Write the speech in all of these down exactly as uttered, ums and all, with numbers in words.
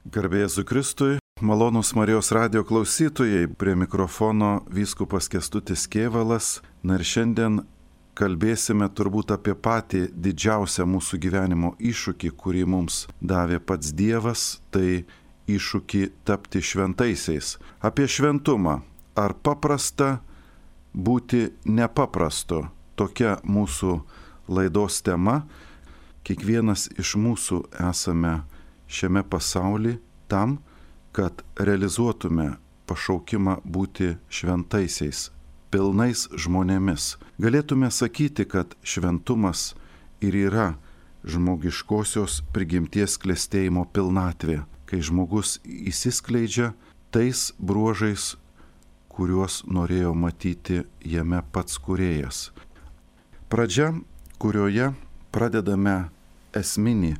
Garbė Jėzui Kristui, malonūs Marijos radijo klausytojai, prie mikrofono vyskupas Kęstutis Kėvalas. Na ir šiandien kalbėsime turbūt apie patį didžiausią mūsų gyvenimo iššūkį, kurį mums davė pats Dievas, tai iššūkį tapti šventaisiais. Apie šventumą. Ar paprasta būti nepaprastu? Tokia mūsų laidos tema. Kiekvienas iš mūsų esame šiame pasaulyje tam, kad realizuotume pašaukimą būti šventaisiais, pilnais žmonėmis. Galėtume sakyti, kad šventumas ir yra žmogiškosios prigimties klestėjimo pilnatvė, kai žmogus įsiskleidžia tais bruožais, kuriuos norėjo matyti jame pats kūrėjas. Pradžia, kurioje pradedame esminį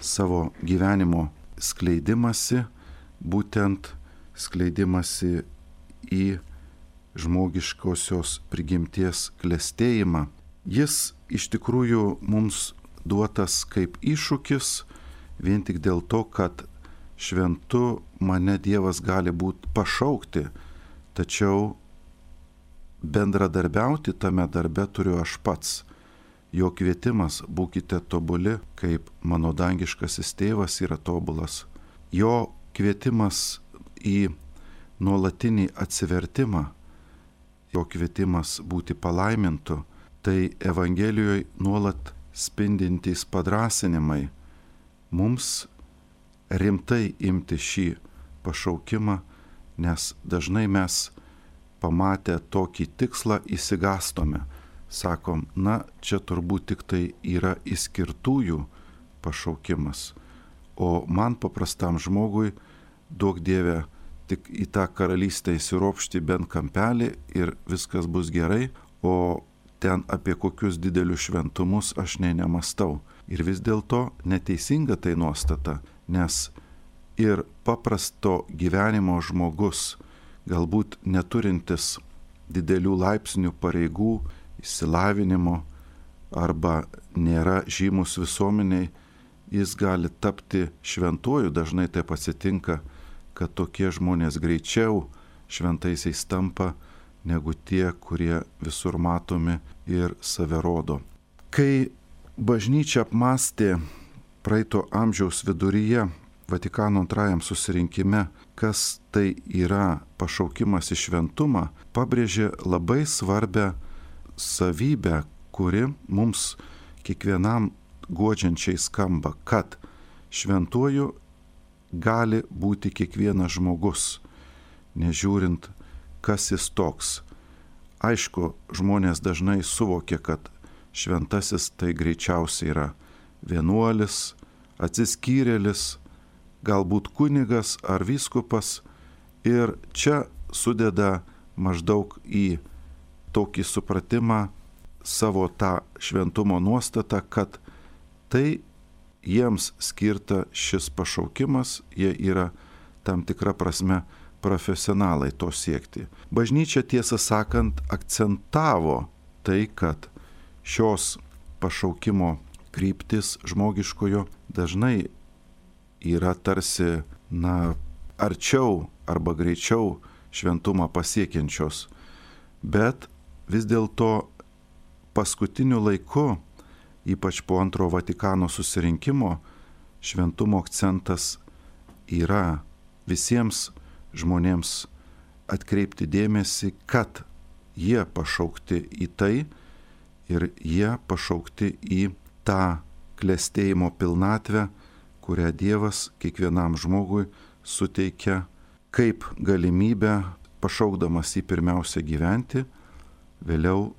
savo gyvenimo skleidimąsi, būtent skleidimąsi į žmogiškosios prigimties klestėjimą. Jis iš tikrųjų mums duotas kaip iššūkis, vien tik dėl to, kad šventu mane Dievas gali būti pašaukti, tačiau bendradarbiauti tame darbe turiu aš pats. Jo kvietimas būkite tobuli, kaip mano dangiškasis tėvas yra tobulas. Jo kvietimas į nuolatinį atsivertimą, jo kvietimas būti palaimintu, tai Evangelijoje nuolat spindintys padrąsinimai mums rimtai imti šį pašaukimą, nes dažnai mes pamatę tokį tikslą įsigastome. Sakom, na, čia turbūt tik tai yra išskirtųjų pašaukimas, o man paprastam žmogui duok Dieve tik į tą karalystę įsiropšti bent kampelį ir viskas bus gerai, o ten apie kokius didelius šventumus aš nei nemastau. Ir vis dėlto neteisinga tai nuostata, nes ir paprasto gyvenimo žmogus, galbūt neturintis didelių laipsnių pareigų, išsilavinimo arba nėra žymus visuomeniai, jis gali tapti šventuoju. Dažnai taip atsitinka, kad tokie žmonės greičiau šventaisiais tampa negu tie, kurie visur matomi ir save rodo. Kai bažnyčia apmąstė praeito amžiaus viduryje Vatikano antrajam susirinkime, kas tai yra pašaukimas į šventumą, pabrėžė labai svarbę savybę, kuri mums kiekvienam guodžiančiai skamba, kad šventuoju gali būti kiekvienas žmogus, nežiūrint, kas jis toks. Aišku, žmonės dažnai suvokia, kad šventasis tai greičiausiai yra vienuolis, atsiskyrėlis, galbūt kunigas ar vyskupas, ir čia sudeda maždaug į tokį supratimą savo tą šventumo nuostatą, kad tai jiems skirta šis pašaukimas, jie yra tam tikra prasme profesionalai to siekti. Bažnyčia, tiesą sakant, akcentavo tai, kad šios pašaukimo kryptis žmogiškojo dažnai yra tarsi, na, arčiau arba greičiau šventumą pasiekiančios, bet vis dėlto paskutiniu laiku, ypač po antro Vatikano susirinkimo, šventumo akcentas yra visiems žmonėms atkreipti dėmesį, kad jie pašaukti į tai ir jie pašaukti į tą klestėjimo pilnatvę, kurią Dievas kiekvienam žmogui suteikia kaip galimybę, pašaukdamas jį pirmiausia gyventi, vėliau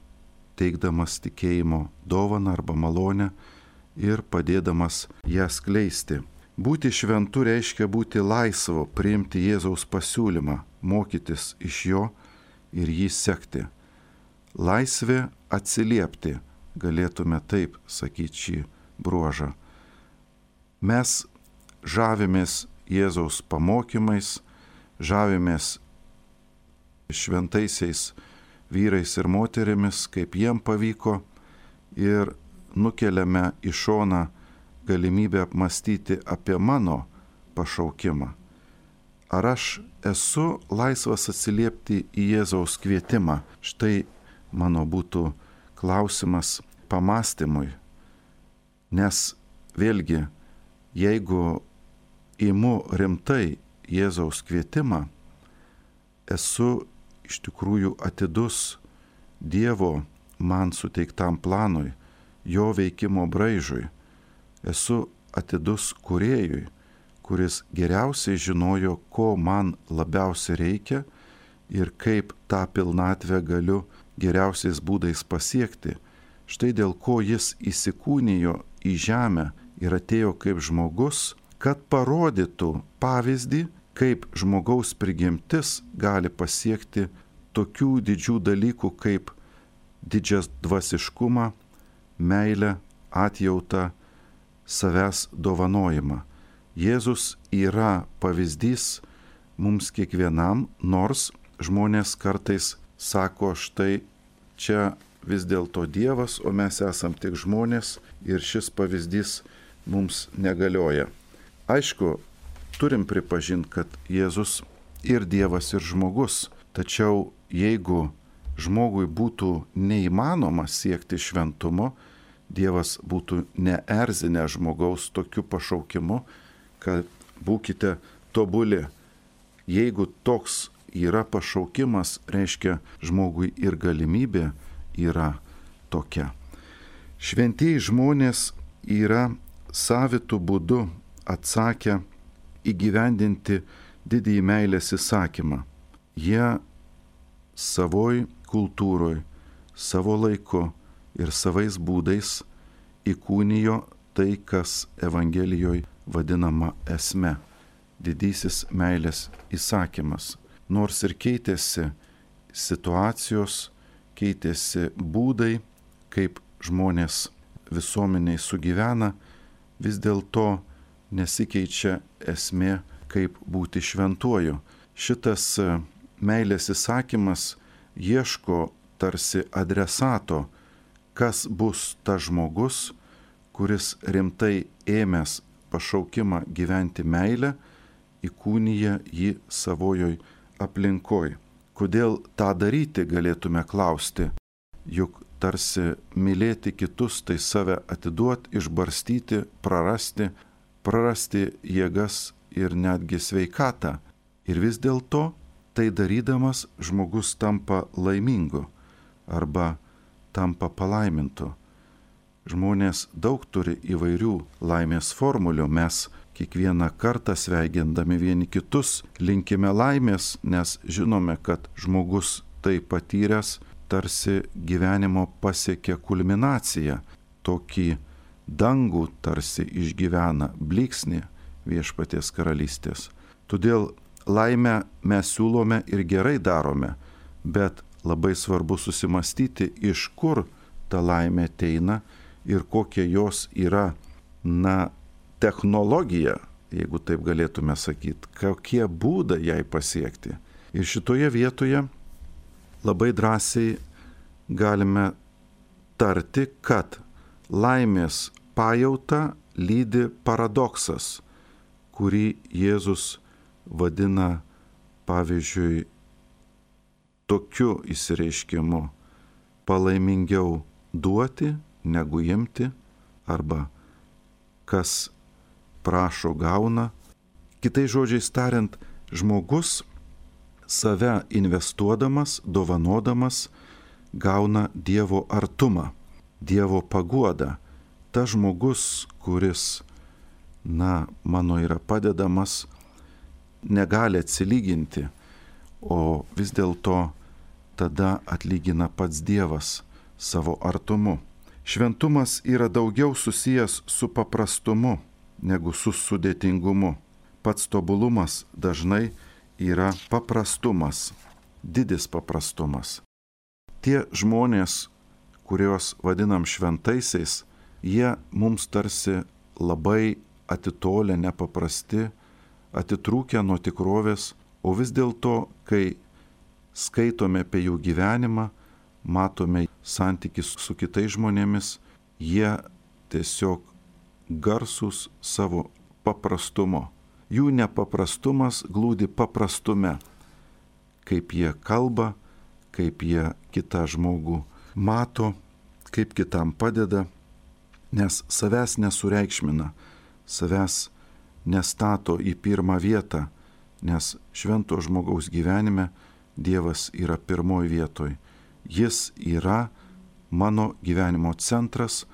teikdamas tikėjimo dovaną arba malonę ir padėdamas ją skleisti. Būti šventu reiškia būti laisvu, priimti Jėzaus pasiūlymą, mokytis iš jo ir jį sekti. Laisvė atsiliepti, galėtume taip sakyti šį bruožą. Mes žavimės Jėzaus pamokymais, žavimės šventaisiais vyrais ir moterimis, kaip jiem pavyko, ir nukeliame į šoną galimybę apmastyti apie mano pašaukimą? Ar aš esu laisvas atsiliepti į Jėzaus kvietimą? Štai mano būtų klausimas pamastymui. Nes vėlgi, jeigu imu rimtai Jėzaus kvietimą, esu iš tikrųjų atidus Dievo man suteiktam planui, jo veikimo braižui. Esu atidus kūrėjui, kuris geriausiai žinojo, ko man labiausiai reikia ir kaip tą pilnatvę galiu geriausiais būdais pasiekti. Štai dėl ko jis įsikūnijo į žemę ir atėjo kaip žmogus, kad parodytų pavyzdį, kaip žmogaus prigimtis gali pasiekti tokių didžių dalykų kaip didžias dvasiškumą, meilę, atjautą, savęs dovanojimą. Jėzus yra pavyzdys mums kiekvienam, nors žmonės kartais sako, štai čia vis dėlto Dievas, o mes esam tik žmonės ir šis pavyzdys mums negalioja. Aišku, turim pripažinti, kad Jėzus ir Dievas, ir žmogus, tačiau jeigu žmogui būtų neįmanoma siekti šventumo, Dievas būtų neerzinę žmogaus tokiu pašaukimu, kad būkite tobuli. Jeigu toks yra pašaukimas, reiškia žmogui ir galimybė yra tokia. Šventieji žmonės yra savitų būdų atsakę įgyvendinti didįjį meilės įsakymą. Jie savoj kultūroj, savo laiku ir savais būdais įkūnijo tai, kas Evangelijoje vadinama esme, didysis meilės įsakymas. Nors ir keitėsi situacijos, keitėsi būdai, kaip žmonės visuomeniai sugyvena, vis dėlto nesikeičia esmė, kaip būti šventuoju. Šitas meilės įsakymas ieško tarsi adresato, kas bus tas žmogus, kuris rimtai ėmęs pašaukimą gyventi meilę, įkūnija jį savojoj aplinkoj. Kodėl tą daryti, galėtume klausti, juk tarsi mylėti kitus, tai save atiduot, išbarstyti, prarasti, prarasti jėgas ir netgi sveikatą. Ir vis dėlto, tai darydamas žmogus tampa laimingu arba tampa palaimintu. Žmonės daug turi įvairių laimės formulių. Mes kiekvieną kartą sveikindami vieni kitus linkime laimės, nes žinome, kad žmogus tai patyręs tarsi gyvenimo pasiekia kulminaciją. Tokį dangų tarsi išgyvena, blyksnį Viešpaties karalystės. Todėl laimę mes siūlome ir gerai darome, bet labai svarbu susimastyti, iš kur ta laimė ateina ir kokia jos yra, na, technologija, jeigu taip galėtume sakyti, kokie būdai jai pasiekti. Ir šitoje vietoje labai drąsiai galime tarti, kad laimės pajauta lydi paradoksas, kurį Jėzus vadina, pavyzdžiui, tokiu išsireiškimu: palaimingiau duoti negu imti, arba kas prašo gauna. Kitais žodžiais tariant, žmogus save investuodamas, dovanodamas, gauna Dievo artumą, Dievo paguodą. Tas žmogus, kuris, na, mano yra padedamas, negali atsilyginti, o vis dėlto tada atlygina pats Dievas savo artumu. Šventumas yra daugiau susijęs su paprastumu negu su sudėtingumu. Pats tobulumas dažnai yra paprastumas, didis paprastumas. Tie žmonės, kuriuos vadinam šventaisiais, jie mums tarsi labai atitolę, nepaprasti, atitrūkę nuo tikrovės, o vis dėlto, kai skaitome apie jų gyvenimą, matome santykis su kitais žmonėmis, jie tiesiog garsūs savo paprastumo. Jų nepaprastumas glūdi paprastume, kaip jie kalba, kaip jie kitą žmogų mato, kaip kitam padeda, nes savęs nesureikšmina, savęs nestato į pirmą vietą, nes švento žmogaus gyvenime Dievas yra pirmoji vietoj. Jis yra mano gyvenimo centras,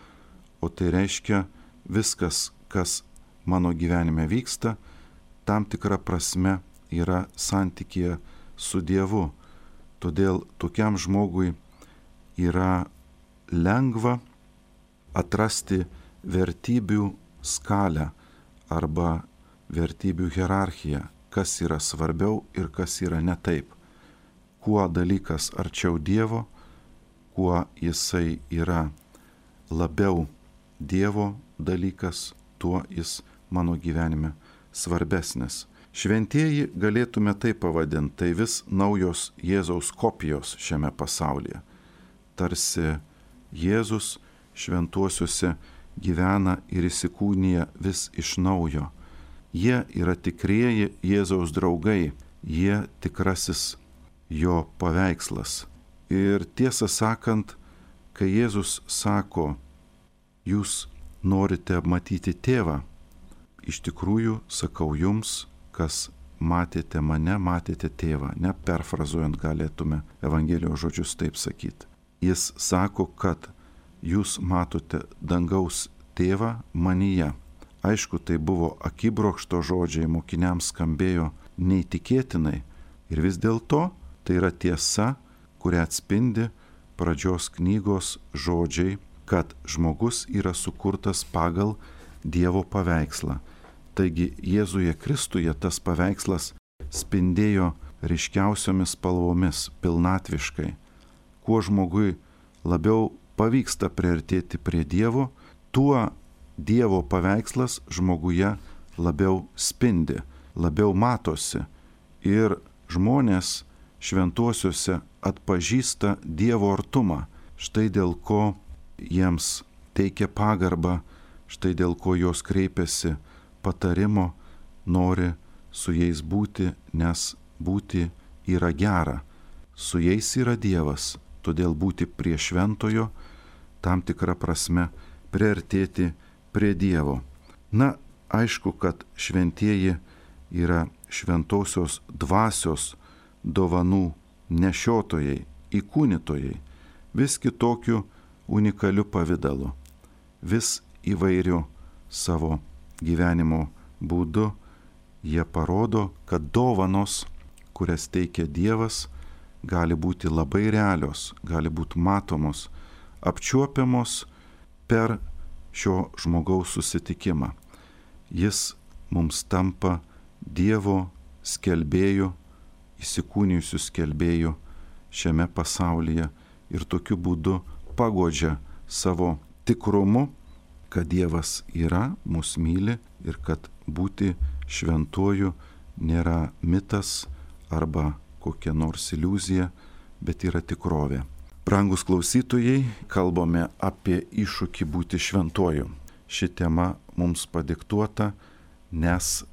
o tai reiškia viskas, kas mano gyvenime vyksta, tam tikra prasme yra santykėje su Dievu. Todėl tokiam žmogui yra lengva atrasti vertybių skalę arba vertybių hierarchiją, kas yra svarbiau ir kas yra ne taip. Kuo dalykas arčiau Dievo, kuo jisai yra labiau Dievo dalykas, tuo jis mano gyvenime svarbesnis. Šventieji galėtume tai pavadinti, tai vis naujos Jėzaus kopijos šiame pasaulyje. Tarsi Jėzus šventuosiuose gyvena ir įsikūnija vis iš naujo. Jie yra tikrieji Jėzaus draugai, jie tikrasis jo paveikslas. Ir tiesą sakant, kai Jėzus sako, jūs norite matyti tėvą, iš tikrųjų sakau jums, kas matėte mane, matėte tėvą. Ne perfrazuojant galėtume Evangelijos žodžius taip sakyti. Jis sako, kad jūs matote dangaus tėvą manyje. Aišku, tai buvo akibrokšto žodžiai, mokiniams skambėjo neįtikėtinai. Ir vis dėlto tai yra tiesa, kurią atspindi pradžios knygos žodžiai, kad žmogus yra sukurtas pagal Dievo paveikslą. Taigi Jėzuje Kristuje tas paveikslas spindėjo ryškiausiomis spalvomis, pilnatviškai. Kuo žmogui labiau pavyksta priartėti prie Dievo, tuo Dievo paveikslas žmoguje labiau spindi, labiau matosi. Ir žmonės šventuosiuose atpažįsta Dievo artumą. Štai dėl ko jiems teikia pagarbą, štai dėl ko jos kreipiasi patarimo, nori su jais būti, nes būti yra gera. Su jais yra Dievas, todėl būti prie šventojo, tam tikrą prasme priartėti prie Dievo. Na, aišku, kad šventieji yra šventosios dvasios dovanų nešiotojai, įkūnytojai, vis kitokiu unikaliu pavidalu, vis įvairiu savo gyvenimo būdu. Jie parodo, kad dovanos, kurias teikia Dievas, gali būti labai realios, gali būti matomos, apčiuopiamos per šio žmogaus susitikimą. Jis mums tampa Dievo skelbėju, įsikūnijusių skelbėjų šiame pasaulyje ir tokiu būdu paguodžia savo tikrumu, kad Dievas yra, mus myli ir kad būti šventuoju nėra mitas arba kokia nors iliuzija, bet yra tikrovė. Brangus klausytojai, kalbame apie iššūkį būti šventuoju. Ši tema mums padiktuota, nes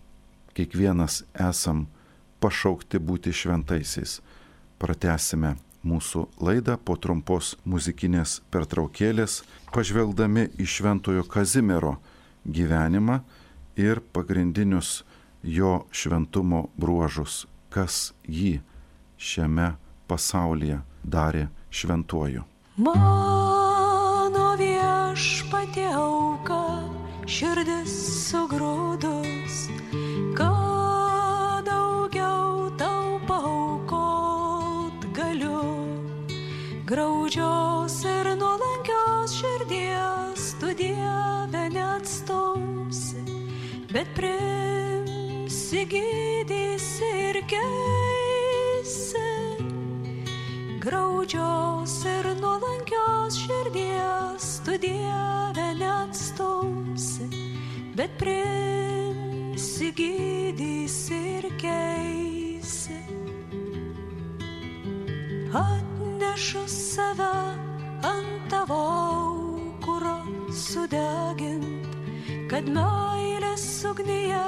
kiekvienas esam pašaukti būti šventaisiais. Pratęsime mūsų laidą po trumpos muzikinės pertraukėlės, pažvelgdami į šventojo Kazimiero gyvenimą ir pagrindinius jo šventumo bruožus, kas jį šiame pasaulyje darė šventuoju. Mano viešpatie auka, širdis sugrūdus, kad daugiau tau paaukot galiu. Graudžios ir nuolankios širdies tu Dieve neatstumsi, bet priimsi, gydysi ir keisi. Graudžios ir nuolankios širdies tu Dieve neatstumsi, bet priimsi, gydysi ir keisi. Atnešu save ant tavo aukuro sudegint, kad meilės ugnyje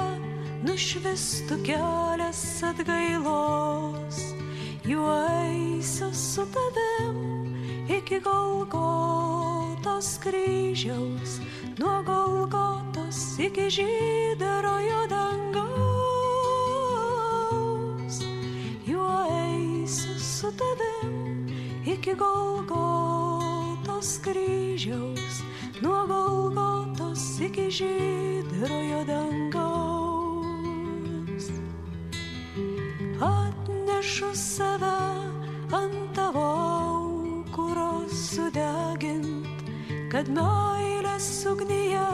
nušvistų kelias atgailos, juo eisiu su tavim iki Golgotos kryžiaus, nuo Golgotos iki žydrojo dangaus, juo eisiu su tavim iki Golgotos kryžiaus, nuo Golgotos iki žydrojo dangaus. Atnešu save ant tavo aukuro sudegint, kad meilės ugnyje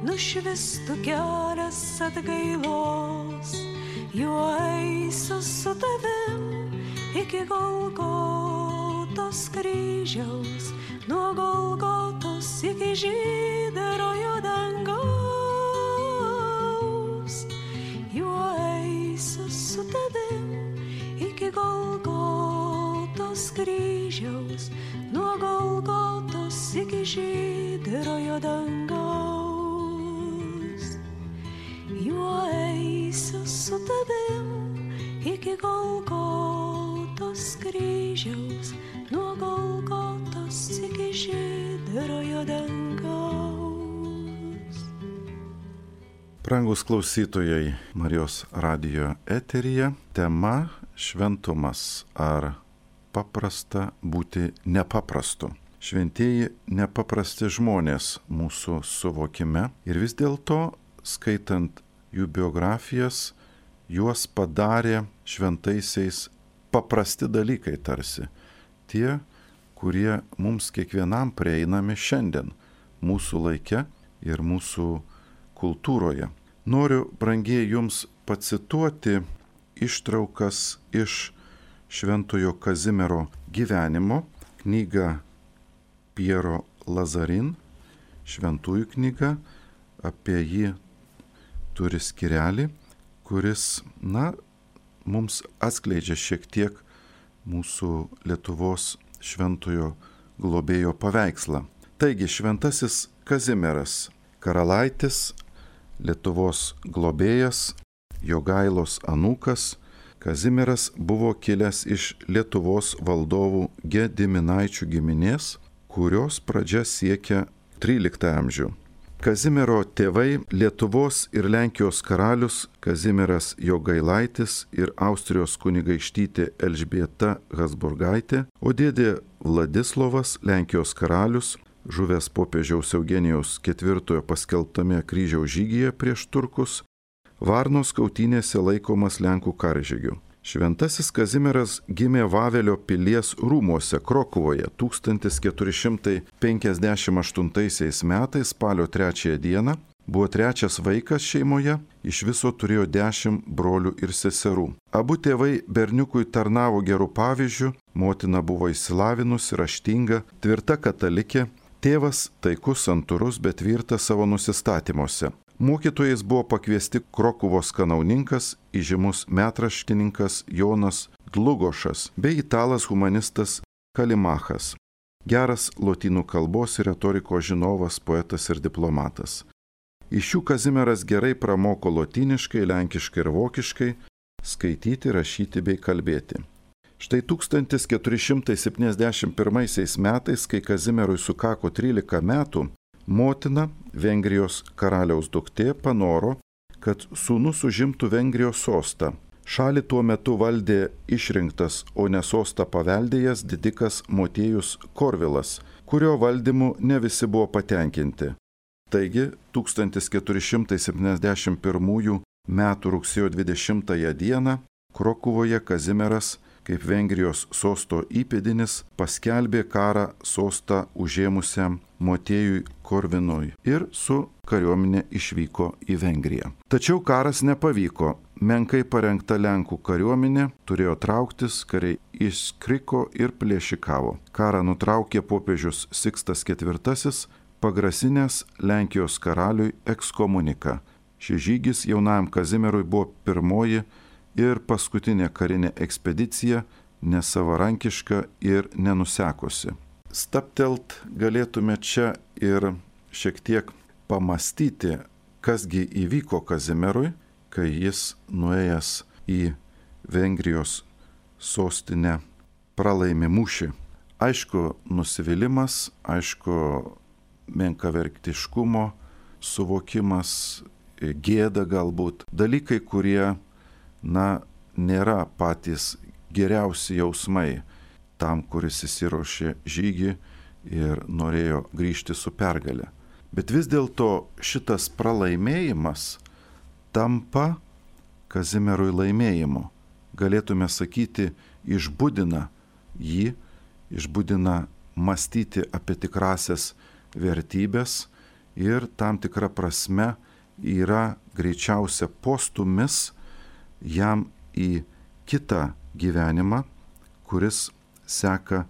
nušvistų kelias atgailos, juo eisiu su tavim iki Golgotos kryžiaus, nuo Golgotos iki žydrojo dangaus, juo eisiu su tavim iki Golgotos kryžiaus, nuo Golgotos iki žydrojo dangaus, juo eisiu su tavim iki Golgotos kryžiaus, nuo Golgotos iki žydrojo dangaus. Brangus klausytojai, Marijos radijo eteryje tema šventumas, ar paprasta būti nepaprastu. Šventieji nepaprasti žmonės mūsų suvokime ir vis dėlto, skaitant jų biografijas, juos padarė šventaisiais paprasti dalykai tarsi. Tie, kurie mums kiekvienam prieinami šiandien, mūsų laike ir mūsų kultūroje. Noriu, brangieji, jums pacituoti ištraukas iš Šventojo Kazimiero gyvenimo, knyga Piero Lazarin, šventųjų knyga, apie jį turi skyrelį, kuris, na, mums atskleidžia šiek tiek mūsų Lietuvos šventojo globėjo paveikslą. Taigi, šventasis Kazimieras, karalaitis, Lietuvos globėjas, Jogailos anūkas. Kazimieras buvo kilęs iš Lietuvos valdovų Gediminaičių giminės, kurios pradžia siekia tryliktą amžių. Kazimiero tėvai Lietuvos ir Lenkijos karalius Kazimieras Jogailaitis ir Austrijos kunigaikštytė Elžbieta Habsburgaitė, o dėdė Vladislovas, Lenkijos karalius, žuvęs popiežiaus Eugenijaus ketvirtojo paskelbtame kryžiaus žygyje prieš turkus, Varnos kautynėse laikomas Lenkų karžygiu. Šventasis Kazimieras gimė Vavelio pilies rūmuose Krokuvoje tūkstantis keturi šimtai penkiasdešimt aštuntaisiais metais spalio trečiąją dieną. Buvo trečias vaikas šeimoje, iš viso turėjo dešimt brolių ir seserų. Abu tėvai berniukui tarnavo gerų pavyzdžių, motina buvo išsilavinusi, raštinga, tvirta katalikė, tėvas taikus, santūrus, bet tvirtas savo nusistatymuose. Mokytojais buvo pakviesti Krokuvos kanauninkas, įžymus metraštininkas Jonas Dlugošas bei italas humanistas Kalimachas, geras lotynų kalbos ir retorikos žinovas, poetas ir diplomatas. Iš jų Kazimieras gerai pramoko lotyniškai, lenkiškai ir vokiškai skaityti, rašyti bei kalbėti. Štai tūkstantis keturi šimtai septyniasdešimt pirmaisiais metais, kai Kazimierui sukako trylika metų, motina, Vengrijos karaliaus duktė, panoro, kad sūnus užimtų Vengrijos sostą. Šalį tuo metu valdė išrinktas, o ne sostą paveldėjęs didikas Motiejus Korvilas, kurio valdymu ne visi buvo patenkinti. Taigi, tūkstantis keturi šimtai septyniasdešimt pirmųjų metų rugsėjo dvidešimtąją dieną Krokuvoje Kazimieras, kaip Vengrijos sosto įpėdinis, paskelbė karą sostą užėmusiam Motiejui Korvinui ir su kariuomenė išvyko į Vengriją. Tačiau karas nepavyko. Menkai parengta Lenkų kariuomenė turėjo trauktis, kariai iškriko ir plėšikavo. Karą nutraukė popiežius Sikstas ketvirtasis, pagrasinęs Lenkijos karaliui ekskomuniką. Šis žygis jaunajam Kazimierui buvo pirmoji ir paskutinė karinė ekspedicija, nesavarankiška ir nenusekusi. Staptelt galėtume čia ir šiek tiek pamastyti, kasgi įvyko Kazimierui, kai jis nuėjęs į Vengrijos sostinę pralaimi mūšį. Aišku, nusivylimas, aišku, menkavertiškumo suvokimas, gėda galbūt. Dalykai, kurie, na, nėra patys geriausi jausmai tam, kuris įsiruošė žygį ir norėjo grįžti su pergale. Bet vis dėlto šitas pralaimėjimas tampa Kazimierui laimėjimu. Galėtume sakyti, išbudina jį, išbudina mąstyti apie tikrasias vertybės ir tam tikra prasme yra greičiausia postumis jam į kitą gyvenimą, kuris seka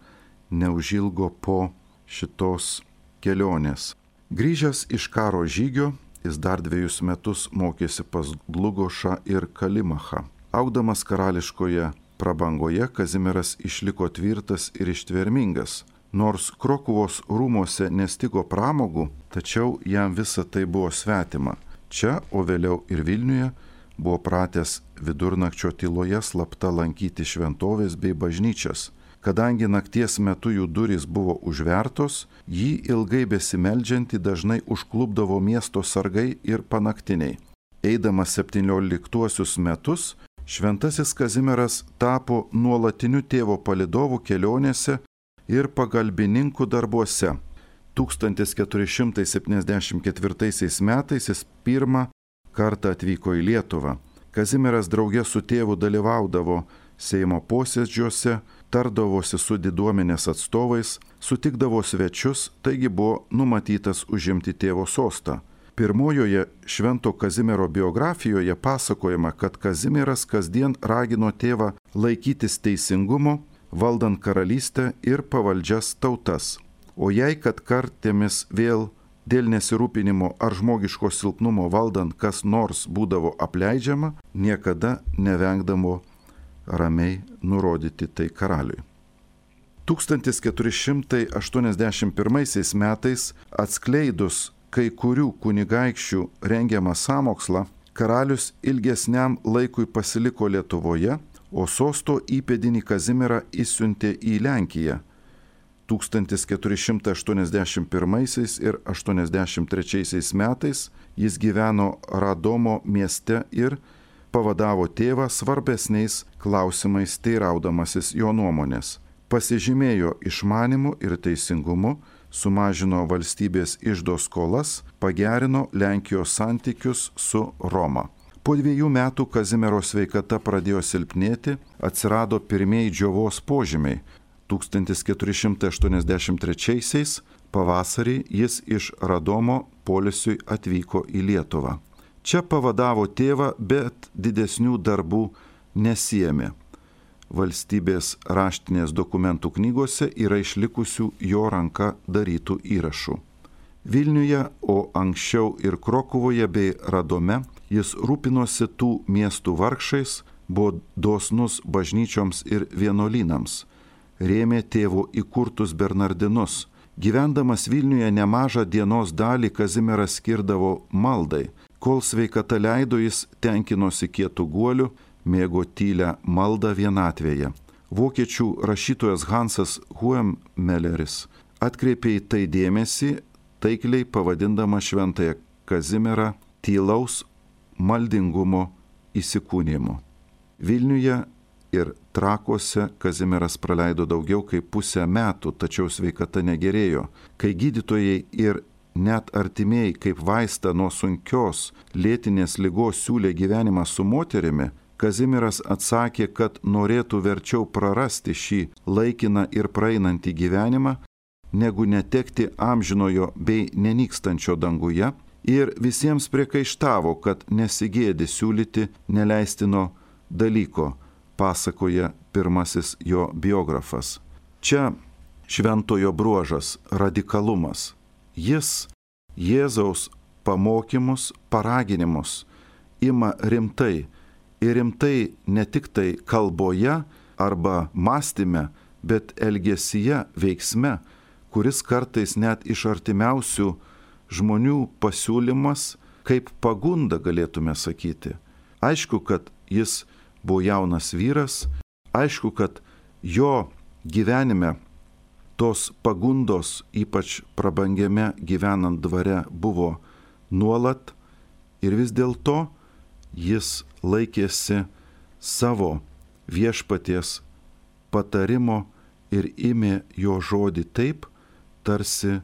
neužilgo po šitos kelionės. Grįžęs iš karo žygio, jis dar dviejus metus mokėsi pas Dlugošą ir Kalimachą. Augdamas karališkoje prabangoje, Kazimieras išliko tvirtas ir ištvermingas. Nors Krokuvos rūmose nestigo pramogų, tačiau jam visa tai buvo svetima. Čia, o vėliau ir Vilniuje, buvo pratęs vidurnakčio tyloje slapta lankyti šventovės bei bažnyčias. Kadangi nakties metu jų durys buvo užvertos, jį ilgai besimeldžiantį dažnai užklupdavo miesto sargai ir panaktiniai. Eidamas septynioliktuosius metus, šventasis Kazimieras tapo nuolatiniu tėvo palydovu kelionėse ir pagalbininkų darbuose. tūkstantis keturi šimtai septyniasdešimt ketvirtaisiais metais jis pirmą kartą atvyko į Lietuvą. Kazimieras drauge su tėvu dalyvaudavo Seimo posėdžiuose, tardavosi su diduomenės atstovais, sutikdavo svečius, taigi buvo numatytas užimti tėvo sostą. Pirmojoje Švento Kazimiero biografijoje pasakojama, kad Kazimieras kasdien ragino tėvą laikytis teisingumo, valdant karalystę ir pavaldžias tautas. O jei kad kartėmis vėl dėl nesirūpinimo ar žmogiško silpnumo valdant kas nors būdavo apleidžiama, niekada nevengdavo ramiai nurodyti tai karaliui. tūkstantis keturi šimtai aštuoniasdešimt pirmaisiais metais atskleidus kai kurių kunigaikščių rengiamą sąmokslą, karalius ilgesniam laikui pasiliko Lietuvoje, o sosto įpėdinį Kazimierą išsiuntė į Lenkiją. tūkstantis keturi šimtai aštuoniasdešimt pirmaisiais ir aštuoniasdešimt trečiaisiais metais jis gyveno Radomo mieste ir pavadavo tėvą svarbesniais klausimais teiraudamasis jo nuomonės. Pasižymėjo išmanimu ir teisingumu, sumažino valstybės iždo skolas, pagerino Lenkijos santykius su Roma. Po dviejų metų Kazimiero sveikata pradėjo silpnėti, atsirado pirmieji džiovos požymiai. tūkstantis keturi šimtai aštuoniasdešimt trečiaisiais pavasarį jis iš Radomo poilsiui atvyko į Lietuvą. Čia pavadavo tėvą, bet didesnių darbų nesiėmė. Valstybės raštinės dokumentų knygose yra išlikusių jo ranka darytų įrašų. Vilniuje, o anksčiau ir Krokuvoje bei Radome, jis rūpinosi tų miestų vargšais, buvo dosnus bažnyčioms ir vienuolynams, rėmė tėvo įkurtus bernardinus. Gyvendamas Vilniuje nemažą dienos dalį Kazimieras skirdavo maldai. Kol sveikata leido, jis tenkinosi kietų guolių, mėgo tylę maldą vienatvėje. Vokiečių rašytojas Hansas Huemmelleris atkreipė į tai dėmesį, taikliai pavadindama šventąją Kazimierą tylaus maldingumo įsikūnimu. Vilniuje ir Trakuose Kazimieras praleido daugiau kaip pusę metų, tačiau sveikata negerėjo. Kai gydytojai ir net artimieji kaip vaistą nuo sunkios lėtinės ligos siūlė gyvenimą su moterimi, Kazimieras atsakė, kad norėtų verčiau prarasti šį laikiną ir praeinantį gyvenimą, negu netekti amžinojo bei nenykstančio danguje, ir visiems priekaištavo, kad nesigėdi siūlyti neleistino dalyko, pasakoja pirmasis jo biografas. Čia šventojo bruožas – radikalumas. Jis Jėzaus pamokymus, paraginimus ima rimtai. Ir rimtai ne tik tai kalboje arba mąstyme, bet elgesyje, veiksme, kuris kartais net iš artimiausių žmonių pasiūlymas, kaip pagunda galėtume sakyti. Aišku, kad jis buvo jaunas vyras, aišku, kad jo gyvenime tos pagundos, ypač prabangiame gyvenant dvare, buvo nuolat ir vis dėlto jis laikėsi savo viešpaties patarimo ir ėmė jo žodį taip, tarsi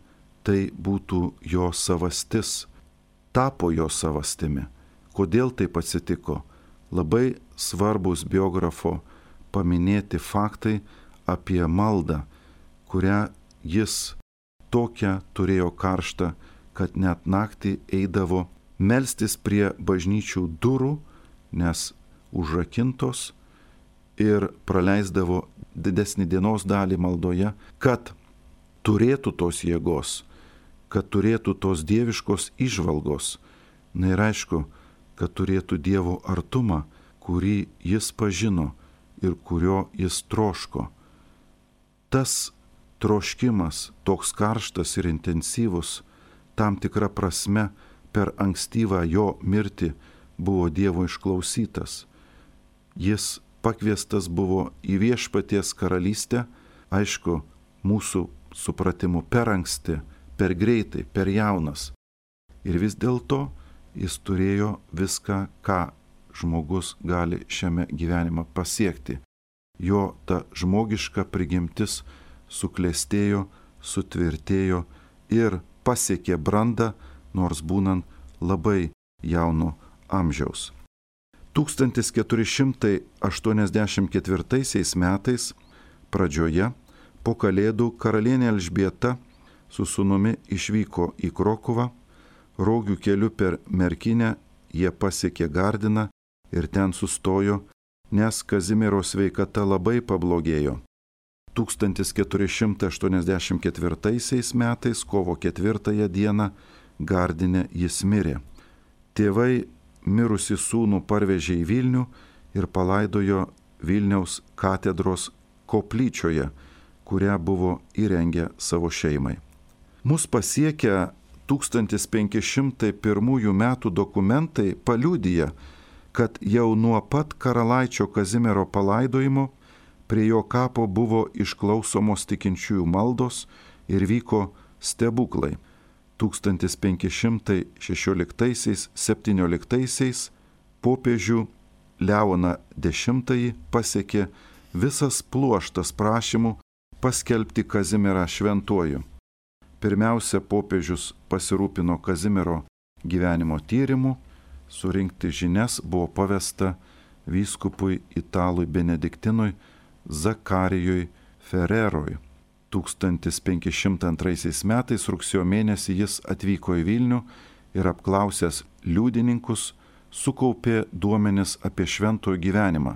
tai būtų jo savastis, tapo jo savastimi. Kodėl taip atsitiko? Labai svarbus biografo paminėti faktai apie maldą, kurią jis tokią turėjo karštą, kad net naktį eidavo melstis prie bažnyčių durų, nes užrakintos, ir praleisdavo didesnį dienos dalį maldoje, kad turėtų tos jėgos, kad turėtų tos dieviškos įžvalgos. Na ir aišku, kad turėtų Dievo artumą, kurį jis pažino ir kurio jis troško. Tas troškimas, toks karštas ir intensyvus, tam tikra prasme per ankstyvą jo mirtį buvo Dievo išklausytas. Jis pakviestas buvo į viešpaties karalystę, aišku, mūsų supratimu per anksti, per greitai, per jaunas. Ir vis dėlto jis turėjo viską, ką žmogus gali šiame gyvenime pasiekti. Jo ta žmogiška prigimtis suklestėjo, sutvirtėjo ir pasiekė brandą, nors būnant labai jauno amžiaus. tūkstantis keturi šimtai aštuoniasdešimt ketvirtaisiais metais pradžioje po Kalėdų karalienė Elžbieta su sūnumi išvyko į Krokuvą, Rogių keliu per Merkinę jie pasiekė Gardiną ir ten sustojo, nes Kazimiero sveikata labai pablogėjo. tūkstantis keturi šimtai aštuoniasdešimt ketvirtaisiais metais kovo ketvirtąją dieną Gardine jis mirė. Tėvai mirusį sūnų parvežė į Vilnių ir palaidojo Vilniaus katedros koplyčioje, kurią buvo įrengę savo šeimai. Mus pasiekę tūkstantis penki šimtai pirmųjų metų dokumentai paliudija, kad jau nuo pat karalaičio Kazimiero palaidojimo prie jo kapo buvo išklausomos tikinčiųjų maldos ir vyko stebuklai. tūkstantis penki šimtai šešioliktaisiais septynioliktaisiais popiežių Leoną dešimtąjį pasiekė visas pluoštas prašymų paskelbti Kazimierą šventuoju. Pirmiausia, popiežius pasirūpino Kazimiero gyvenimo tyrimu, surinkti žinias buvo pavesta vyskupui italui benediktinui Zakarijui Ferreroj. tūkstantis penki šimtai antraisiais metais rugsėjo mėnesį jis atvyko į Vilnių ir apklausęs liudininkus sukaupė duomenis apie šventojo gyvenimą,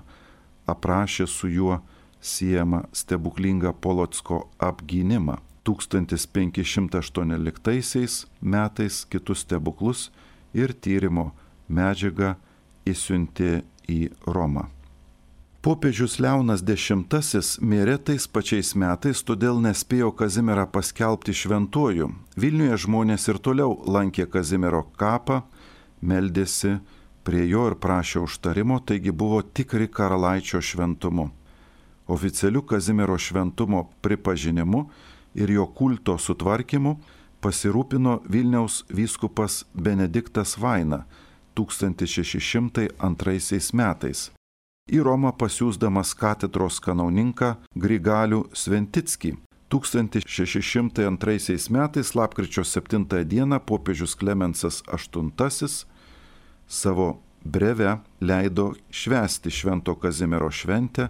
aprašė su juo siejamą stebuklingą Polocko apgynimą. tūkstantis penki šimtai aštuonioliktaisiais metais kitus stebuklus ir tyrimo medžiagą išsiuntė į Romą. Popiežius Leonas dešimtasis mirė tais pačiais metais, todėl nespėjo Kazimierą paskelbti šventuoju. Vilniuje žmonės ir toliau lankė Kazimiero kapą, meldėsi prie jo ir prašė užtarimo, taigi buvo tikri karalaičio šventumu. Oficialiu Kazimiero šventumo pripažinimu ir jo kulto sutvarkymu pasirūpino Vilniaus vyskupas Benediktas Vaina tūkstantis šeši šimtai antraisiais metais. Į Romą pasiųsdamas katedros kanauninką Grigalių Sventickį. tūkstantis šeši šimtai antraisiais metais lapkričio septintąją dieną popiežius Klemensas aštuntasis savo breve leido švęsti Švento Kazimiero šventę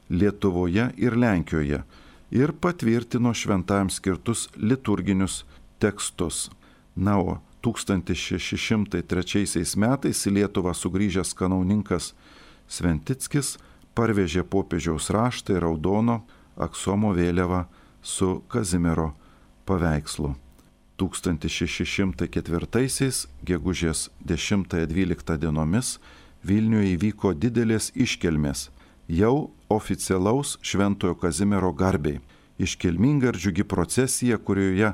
Lietuvoje ir Lenkijoje ir patvirtino šventajam skirtus liturginius tekstus. Na, o tūkstantis šeši šimtai trečiaisiais metais į Lietuvą sugrįžęs kanauninkas Sventickis parvežė popiežiaus raštą ir raudono aksomo vėliavą su Kazimiero paveikslu. tūkstantis šeši šimtai ketvirtaisiais gegužės dešimtąją dvyliktą dienomis Vilniuje įvyko didelės iškilmės, jau oficialaus Šventojo Kazimiero garbei. Iškilminga ir džiugi procesija, kurioje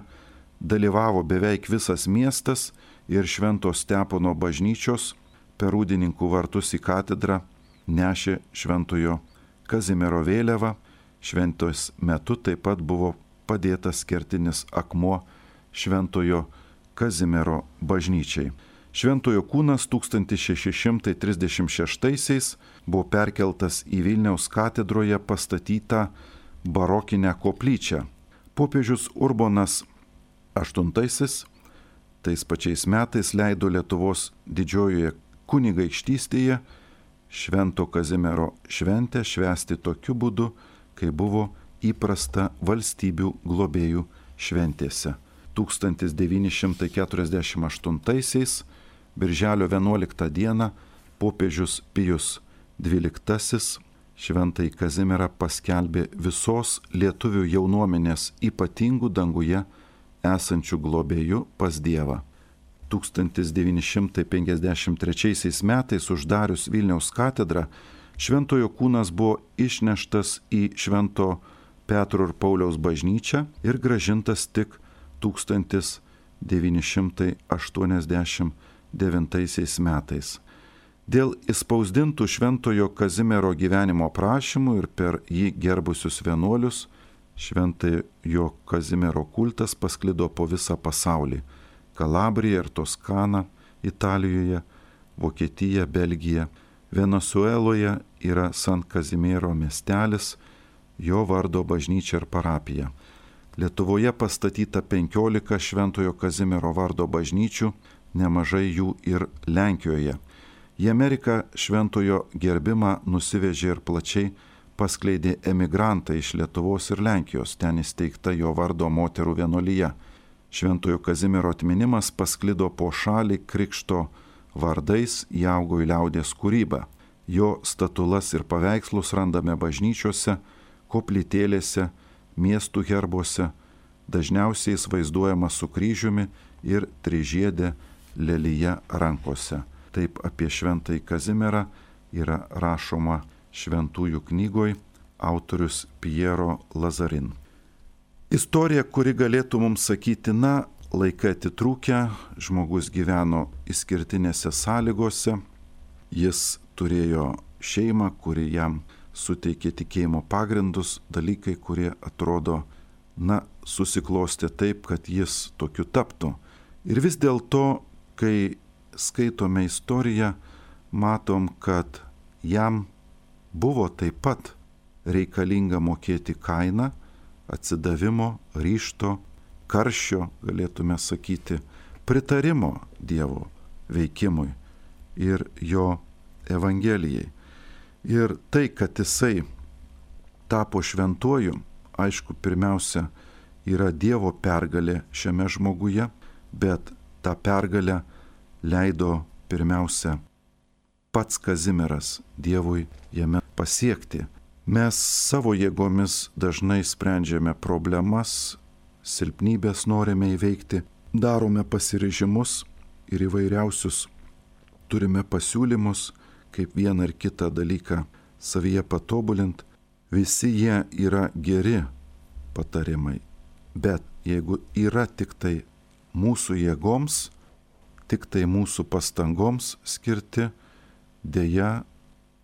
dalyvavo beveik visas miestas ir Švento Stepono bažnyčios per Rūdininkų vartus į katedrą nešė Šventojo Kazimiero vėliavą. Šventos metu taip pat buvo padėtas kertinis akmuo Šventojo Kazimiero bažnyčiai. Šventojo kūnas tūkstantis šeši šimtai trisdešimt šeštaisiais buvo perkeltas į Vilniaus katedroje pastatytą barokinę koplyčią. Popiežius Urbonas aštuntasis tais pačiais metais leido Lietuvos didžiojoje kunigaikštystėje Švento Kazimiero šventę švęsti tokiu būdu, kai buvo įprasta valstybių globėjų šventėse. tūkstantis devyni šimtai keturiasdešimt aštuntaisiais birželio vienuoliktą dieną popiežius Pijus dvyliktasis Šventąjį Kazimierą paskelbė visos lietuvių jaunuomenės ypatingų danguje esančių globėjų pas Dievą. tūkstantis devyni šimtai penkiasdešimt trečiaisiais metais uždarius Vilniaus katedrą, Šventojo kūnas buvo išneštas į Švento Petro ir Pauliaus bažnyčią ir grąžintas tik tūkstantis devyni šimtai aštuoniasdešimt devintaisiais metais. Dėl įspausdintų Šventojo Kazimiero gyvenimo aprašymų ir per jį gerbusius vienuolius, Šventojo Kazimiero kultas pasklido po visą pasaulį - Kalabrija ir Toskana, Italijoje, Vokietija, Belgija. Venesueloje yra San Kazimiero miestelis, jo vardo bažnyčia ir parapija. Lietuvoje pastatyta penkiolika Šventojo Kazimiero vardo bažnyčių, nemažai jų ir Lenkijoje. Į Ameriką šventojo gerbimą nusivežė ir plačiai paskleidė emigrantai iš Lietuvos ir Lenkijos, ten įsteigta jo vardo moterų vienuolija. Šventojo Kazimiero atminimas pasklido po šalį krikšto vardais, įaugo į liaudies kūrybą. Jo statulas ir paveikslus randame bažnyčiose, koplytėlėse, miestų herbuose, dažniausiai jis vaizduojamas su kryžiumi ir trižiedė lelija rankose. Taip apie Šventąjį Kazimierą yra rašoma Šventųjų knygoj autorius Piero Lazarin. Istorija, kuri galėtų mums sakyti, na, laikai atitrūkę, žmogus gyveno išskirtinėse sąlygose, jis turėjo šeimą, kuri jam suteikė tikėjimo pagrindus, dalykai, kurie atrodo, na, susiklostė taip, kad jis tokiu taptų. Ir vis dėlto, kai skaitome istoriją, matom, kad jam buvo taip pat reikalinga mokėti kainą atsidavimo, ryžto, karščio, galėtume sakyti, pritarimo Dievo veikimui ir jo Evangelijai. Ir tai, kad jisai tapo šventuoju, aišku, pirmiausia, yra Dievo pergalė šiame žmoguje, bet tą pergalę leido pirmiausia pats Kazimieras Dievui jame pasiekti. Mes savo jėgomis dažnai sprendžiame problemas, silpnybės norime įveikti, darome pasiryžimus ir įvairiausius turime pasiūlymus, kaip vieną ar kitą dalyką savyje patobulint. Visi jie yra geri patarimai, bet jeigu yra tik tai mūsų jėgoms, tik tai mūsų pastangoms skirti, dėja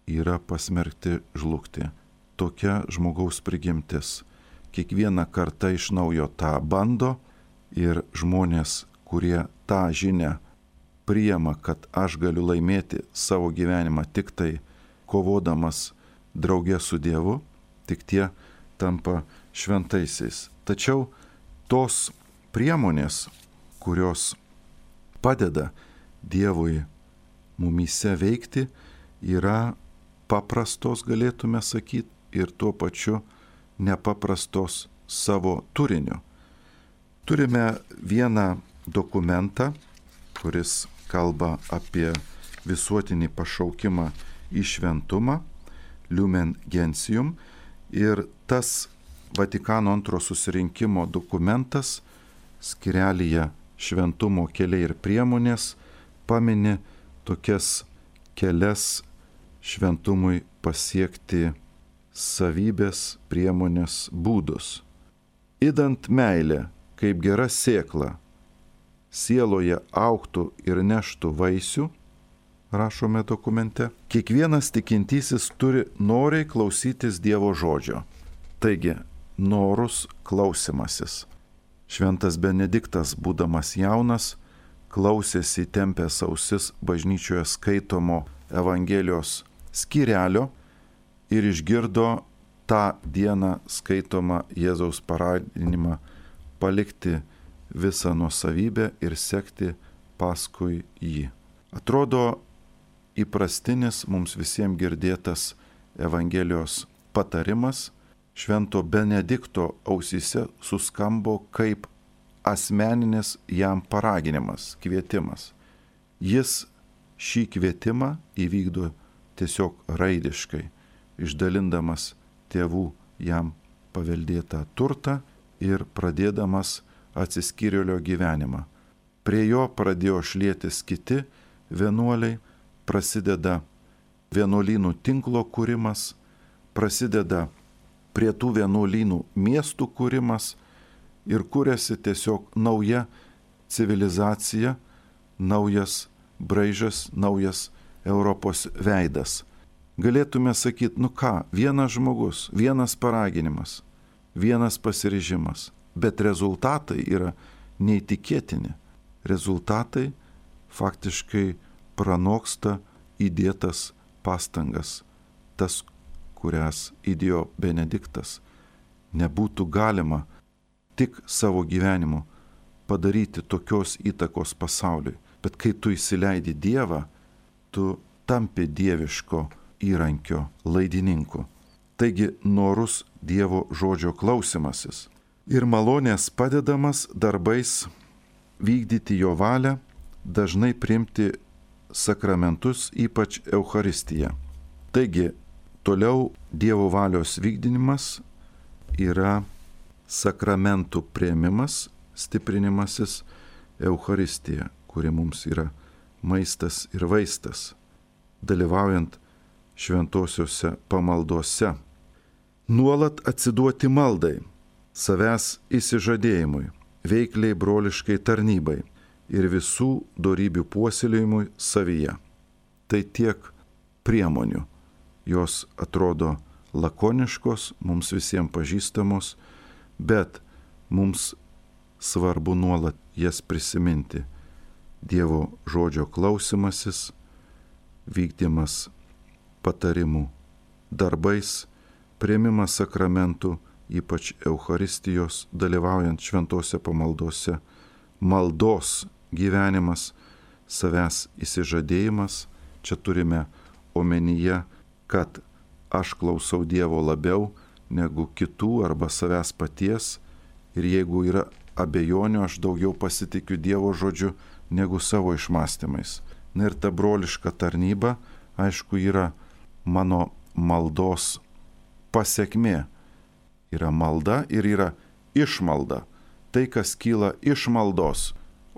yra pasmerkti žlugti. Tokia žmogaus prigimtis. Kiekvieną kartą iš naujo tą bando ir žmonės, kurie tą žinią priima, kad aš galiu laimėti savo gyvenimą tik tai kovodamas drauge su Dievu, tik tie tampa šventaisiais. Tačiau tos priemonės, kurios padeda Dievui mumyse veikti, yra paprastos, galėtume sakyti, ir tuo pačiu nepaprastos savo turiniu. Turime vieną dokumentą, kuris kalba apie visuotinį pašaukimą į šventumą, Lumen Gentium, ir tas Vatikano antro susirinkimo dokumentas skyrelyje šventumo keliai ir priemonės pamini tokias kelias šventumui pasiekti savybės, priemonės, būdus. Idant meilė, kaip gera sėkla, sieloje augtų ir neštų vaisių, rašome dokumente. Kiekvienas tikintysis turi noriai klausytis Dievo žodžio. Taigi, norus klausimasis. Šventas Benediktas, būdamas jaunas, klausėsi įtempęs ausis bažnyčioje skaitomo Evangelijos skyrelio ir išgirdo tą dieną skaitomą Jėzaus paraginimą palikti visą nuosavybę ir sekti paskui jį. Atrodo, įprastinis mums visiems girdėtas Evangelijos patarimas Švento Benedikto ausyse suskambo kaip asmeninis jam paraginimas, kvietimas. Jis šį kvietimą įvykdo tiesiog raidiškai, išdalindamas tėvų jam paveldėtą turtą ir pradėdamas atsiskyrėlio gyvenimą. Prie jo pradėjo šlietis kiti vienuoliai, prasideda vienuolynų tinklo kūrimas, prasideda prie tų vienuolynų miestų kūrimas ir kūrėsi tiesiog nauja civilizacija, naujas braižas, naujas Europos veidas. Galėtume sakyti, nu ką, vienas žmogus, vienas paraginimas, vienas pasiryžimas, bet rezultatai yra neįtikėtini. Rezultatai faktiškai pranoksta įdėtas pastangas, tas, kurias įdėjo Benediktas. Nebūtų galima tik savo gyvenimu padaryti tokios įtakos pasauliui, bet kai tu įsileidi Dievą, tu tampi dieviško įrankio laidininku. Taigi norus Dievo žodžio klausimasis ir malonės padedamas darbais vykdyti jo valią, dažnai priimti sakramentus, ypač Eucharistiją. Taigi, toliau Dievo valios vykdymas yra sakramentų priėmimas, stiprinimasis Eucharistija, kuri mums yra maistas ir vaistas, dalyvaujant šventosiuose pamaldose. Nuolat atsiduoti maldai, savęs įsižadėjimui, veikliai broliškai tarnybai ir visų dorybių puoselėjimui savyje. Tai tiek priemonių. Jos atrodo lakoniškos, mums visiems pažįstamos, bet mums svarbu nuolat jas prisiminti. Dievo žodžio klausimasis, vykdymas patarimų darbais, priėmimas sakramentų, ypač Eucharistijos, dalyvaujant šventose pamaldose, maldos gyvenimas, savęs įsižadėjimas. Čia turime omenyje, kad aš klausau Dievo labiau negu kitų arba savęs paties, ir jeigu yra abejonių, aš daugiau pasitikiu Dievo žodžiu negu savo išmąstymais. Na ir ta broliška tarnyba, aišku, yra mano maldos pasekmė. Yra malda ir yra išmalda. Tai, kas kyla iš maldos,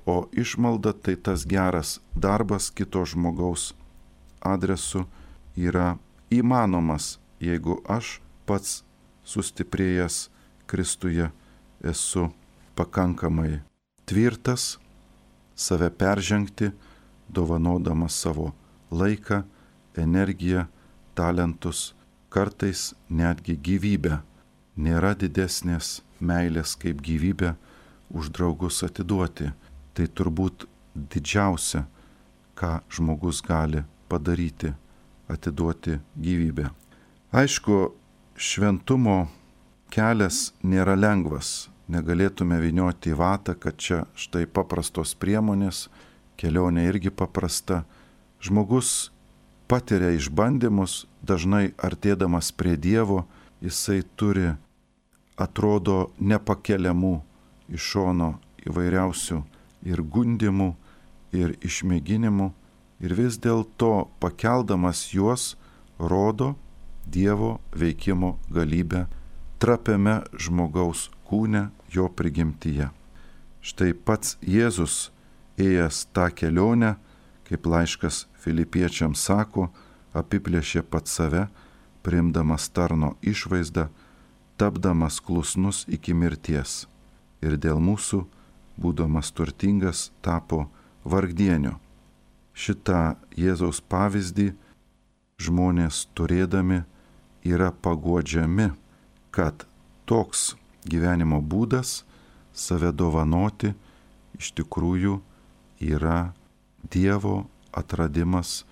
o išmalda tai tas geras darbas kito žmogaus adresu yra įmanomas, jeigu aš pats sustiprėjęs Kristuje esu pakankamai tvirtas, save peržengti, dovanodamas savo laiką, energiją, talentus, kartais netgi gyvybę. Nėra didesnės meilės kaip gyvybę už draugus atiduoti. Tai turbūt didžiausia, ką žmogus gali padaryti, atiduoti gyvybę. Aišku, šventumo kelias nėra lengvas. Negalėtume vynioti į vatą, kad čia štai paprastos priemonės, kelionė irgi paprasta. Žmogus patiria išbandymus, dažnai artėdamas prie Dievo, jisai turi, atrodo, nepakeliamų iš šono įvairiausių ir gundimų, ir išmėginimų, ir vis dėlto pakeldamas juos rodo Dievo veikimo galybę trapiame žmogaus kūne, jo prigimtyje. Štai pats Jėzus, ėjęs tą kelionę, kaip laiškas Filipiečiams sako, apiplėšė pats save, priimdamas tarno išvaizdą, tapdamas klusnus iki mirties. Ir dėl mūsų, būdamas turtingas, tapo vargdieniu. šitą Jėzaus pavyzdį žmonės turėdami yra paguodžiami, kad toks gyvenimo būdas, save dovanoti, iš tikrųjų yra Dievo atradimas,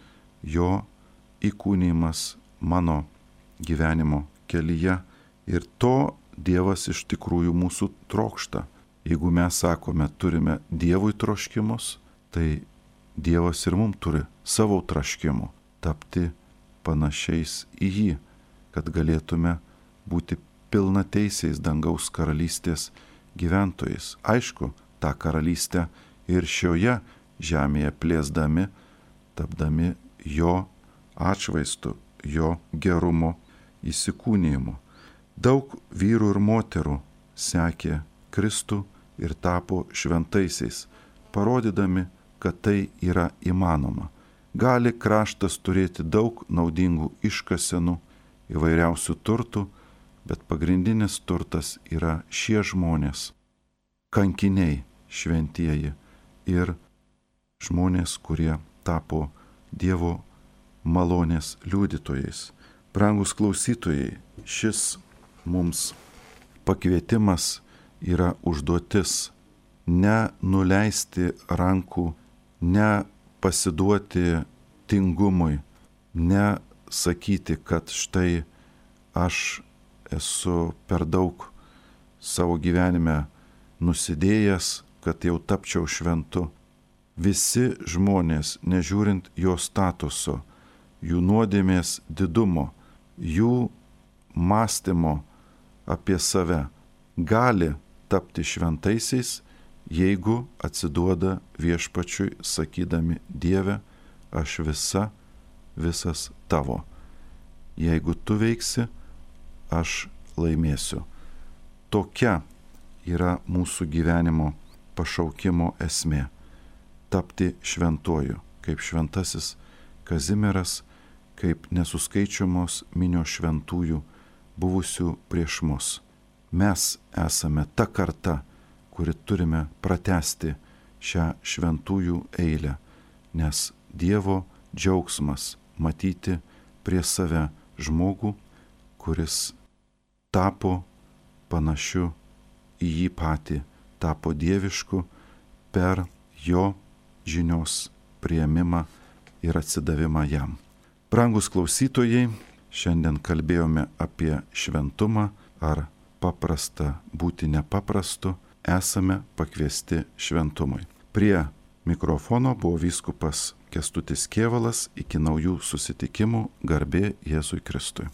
jo įkūnymas mano gyvenimo kelyje. Ir to Dievas iš tikrųjų mūsų trokšta. Jeigu mes sakome, turime Dievui troškimus, tai Dievas ir mums turi savo troškimų tapti panašiais į jį, kad galėtume būti pilnateisiais dangaus karalystės gyventojais. Aišku, tą karalystę ir šioje žemėje plėsdami, tapdami jo atšvaistu, jo gerumo įsikūnijimu. Daug vyrų ir moterų sekė Kristų ir tapo šventaisiais, parodydami, kad tai yra įmanoma. Gali kraštas turėti daug naudingų iškasenų, įvairiausių turtų, bet pagrindinis turtas yra šie žmonės, kankiniai šventieji ir žmonės, kurie tapo Dievo malonės liudytojais. Brangus klausytojai, šis mums pakvietimas yra užduotis ne nuleisti rankų, ne pasiduoti tingumui, ne sakyti, kad štai aš esu per daug savo gyvenime nusidėjęs, kad jau tapčiau šventu. Visi žmonės, nežiūrint jo statuso, jų nuodėmės didumo, jų mąstymo apie save, gali tapti šventaisiais, jeigu atsiduoda viešpačiui, sakydami: Dieve, aš visa, visas tavo. Jeigu tu veiksi, aš laimėsiu. Tokia yra mūsų gyvenimo pašaukimo esmė. Tapti šventuoju, kaip šventasis Kazimieras, kaip nesuskaičiamos minios šventųjų buvusių prieš mus. Mes esame ta karta, kuri turime pratęsti šią šventųjų eilę, nes Dievo džiaugsmas matyti prie save žmogų, kuris tapo panašiu į jį patį, tapo dievišku per jo žinios priėmimą ir atsidavimą jam. Brangus klausytojai, šiandien kalbėjome apie šventumą, ar paprasta būti nepaprastu, esame pakviesti šventumui. Prie mikrofono buvo vyskupas Kęstutis Kėvalas. Iki naujų susitikimų, garbė Jėzui Kristui.